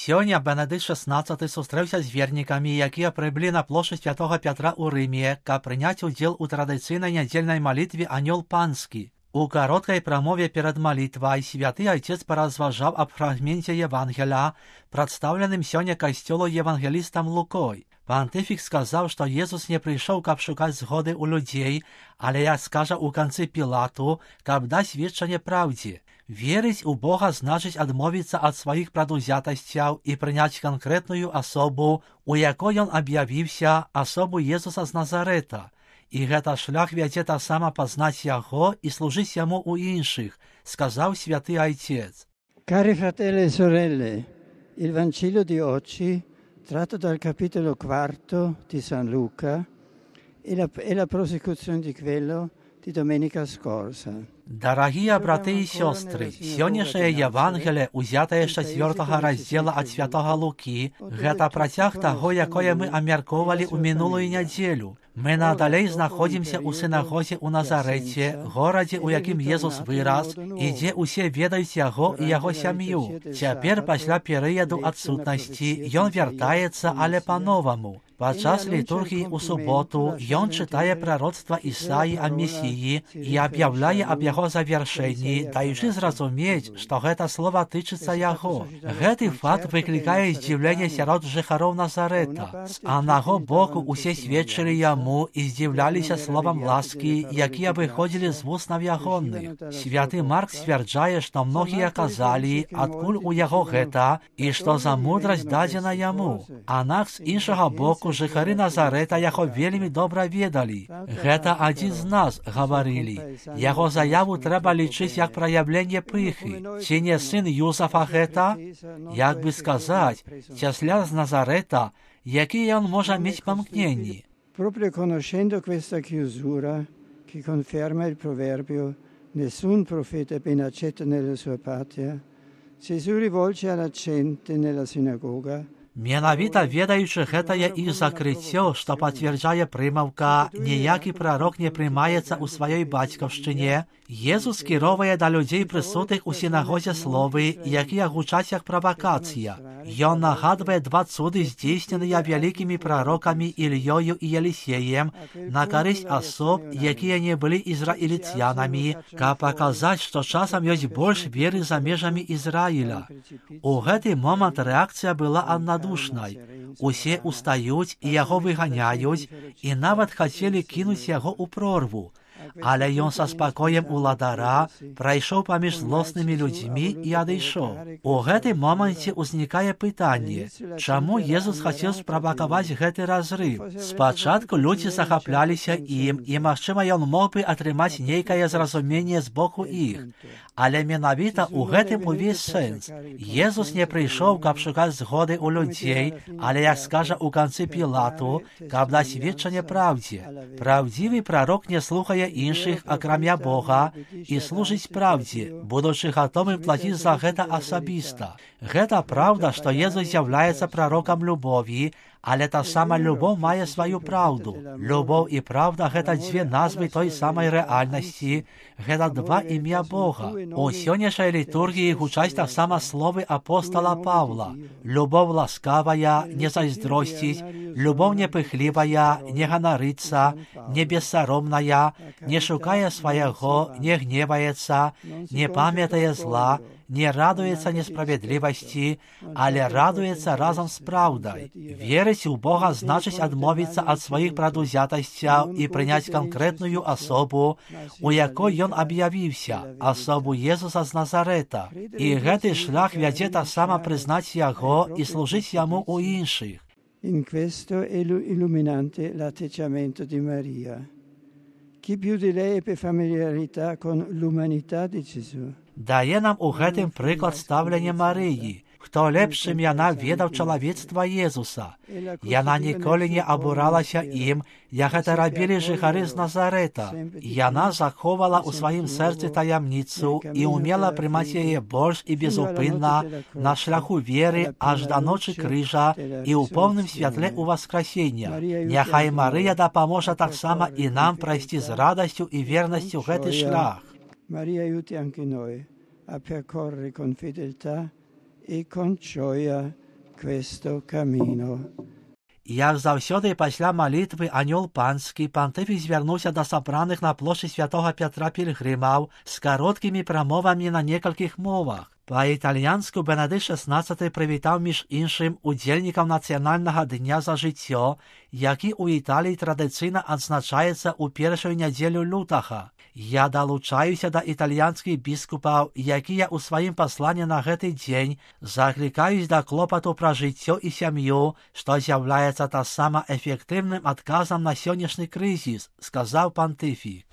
Сёння Бенедикт XVI сустрэўся з вернікамі, якія прыблі на плошчадь Святога Пятра ў Рыме, каб прыняць удзел у традыцыйнай нядзельнай малітве «Анёл панскі». У кароткай прамове перад малітвай святы айцец паразважаў аб фрагменце Евангеля, прадстаўленым сёння касцёлу евангелістам Лукой. Пантыфік сказаў, што Езус не прыйшоў, каб шукаць згоды ў людзей, але, як скажа ў канцы Пілату, каб даць сведчанне праўдзе. Верыць у Бога значыць адмовіцца ад сваіх прадузятасцяў і прыняць канкрэтную асобу, у якой ён аб'явіўся, асобу Езуса з Назарэта. І гэта шлях вядзе таксама пазнаць яго і служыць яму ў іншых, сказаў святы айцец. Cari fratelli e sorelle, il Vangelo di oggi, tratto dal capitolo 4 di San Luca, è la prosecuzione di quello di domenica scorsa. Дарагія браты і сёстры, сённяшняе Евангелие, узятае з 4 раздзела ад святога Лукі, гэта працяг таго, якое мы абмяркоўвалі ў мінулую нядзелю. Мы надалей знаходзімся ў сінагозе ў Назарэце, горадзе, у якім Езус вырас, і дзе ўсе ведаюць яго і яго сям'ю. Цяпер, пасля перыяду адсутнасці, ён вяртаецца, але па-новаму. Падчас літургіі ў суботу ён чытае прароцтва Ісаі о Месіі і аб'яўляе аб яго завяршэнні, даючы зразумець, што гэта слова тычыцца яго. Гэты факт выклікае здзіўленне сярод жыхароў Назарэта. З аднаго боку усе сведчылі яму і здзіўляліся словам ласкі, якія выходзілі з вуснаў ягоных. Святы Марк сцвярджае, што многія казалі, адкуль у яго гэта і што за мудрасць дадзена яму. Аднак з іншага боку жыхары Назарэта яго вельмі добра ведалі. Гэта адзін з нас, гаварылі. Яго заяву трэба лічыць як праяўленне пыхі. Ці не сын Юсафа гэта? Як бы сказаць, цясляр з Назарэта, які ён можа мець памкненні. Proprio conoscendo questa chiusura che conferma il proverbio nessun profeta è ben accetto nella sua patria, Gesù rivolge alla gente nella sinagoga. Менавіта ведаючы гэтае іх закрыццё, што пацвярджае прымаўка «Ніякі прарок не прымаецца ў сваёй бацькаўшчыне», Езус скіроўвае да людзей прысутных у сінагозе словы, якія гучаць як правакацыя. Ён нагадвае два цуды, здзейсненыя вялікімі прарокамі Ільёю і Елісеем, на карысць асоб, якія не былі ізраільцянамі, каб паказаць, што часам ёсць больш веры за межамі Ізраіля. У гэты момант рэакцыя была аднадушнай. Усе устаюць і яго выганяюць, і нават хацелі кінуць яго ў прорву. Але ён са спакоем уладара прайшоў паміж злоснымі людзьмі і адышоў. У гэтым моманце ўзнікае пытанне, чаму Езус хацеў справакаваць гэты разрыв. Спачатку людзі захапляліся ім, і, магчыма, ён мог бы атрымаць нейкае зразуменне з боку іх. Але менавіта ў гэтым увесь сэнс. Езус не прыйшоў, каб шукаць згоды ў людзей, але, як скажа ў канцы Пілату, каб даць сведчанне праўдзе. Праўдзівы прарок не слухае іншых, акрамя Бога, і служыць праўдзе, будучы гатовым плаціць за гэта асабіста. Гэта праўда, што Езус з'яўляецца прарокам любові, але таксама любоў мае сваю праўду. Любоў і праўда – гэта дзве назвы той самай рэальнасці, гэта два імя Бога. У сённяшняй літургіі гучаць таксама словы апостала Паўла. Любоў ласкавая, не зайздросціць, любоў непыхлівая, не ганарыцца, не бессаромная, не шукае свайго, не гневаецца, не памятае зла, не радуецца несправядлівасці, але радуецца разам з праўдай. Верыць у Бога значыць адмовіцца ад сваіх прадузятасцяў і прыняць канкрэтную асобу, у якой ён аб'явіўся, асобу Езуса з Назарэта. І гэты шлях вядзе таксама прызнаць яго і служыць яму ў іншых. In questo è illuminante l'atteggiamento di Maria. Chi più di lei ebbe familiarità con l'umanità di Gesù. Дае нам у гэтым прыклад стаўлення Марыі. Хто лепш, чым яна, ведаў чалавецтва Езуса. Яна ніколі не абуралася ім, як гэта рабілі жыхары з Назарэта. Яна захоўвала ў сваім сэрцы таямніцу і умела прымаць яе больш і безупынна на шляху веры аж да ночы крыжа і ў поўным святле ўваскрасення. Няхай Марыя дапаможа таксама і нам прайсці з радасцю і вернасцю гэты шлях. Maria aiuti anche noi a percorrere con fedeltà e con gioia questo cammino. Як заўсёды пасля малітвы анёл панскі, пантыфік звярнуўся да сабраных на плошчы святога Пятра пілгрымаў з кароткімі прамовамі на некалькіх мовах. Па-італьянску Бенедыкт XVI прывітаў між іншым удзельнікаў нацыянальнага дня за жыццё, які ў Італіі традыцыйна адзначаецца ў першую нядзелю лютага. Я далучаюся да італьянскіх біскупаў, якія ў сваім пасланні на гэты дзень заклікаюць да клопату пра жыццё і сям'ю, што з'яўляецца таксама эфектыўным адказам на сённяшні крызіс, сказаў пантыфік.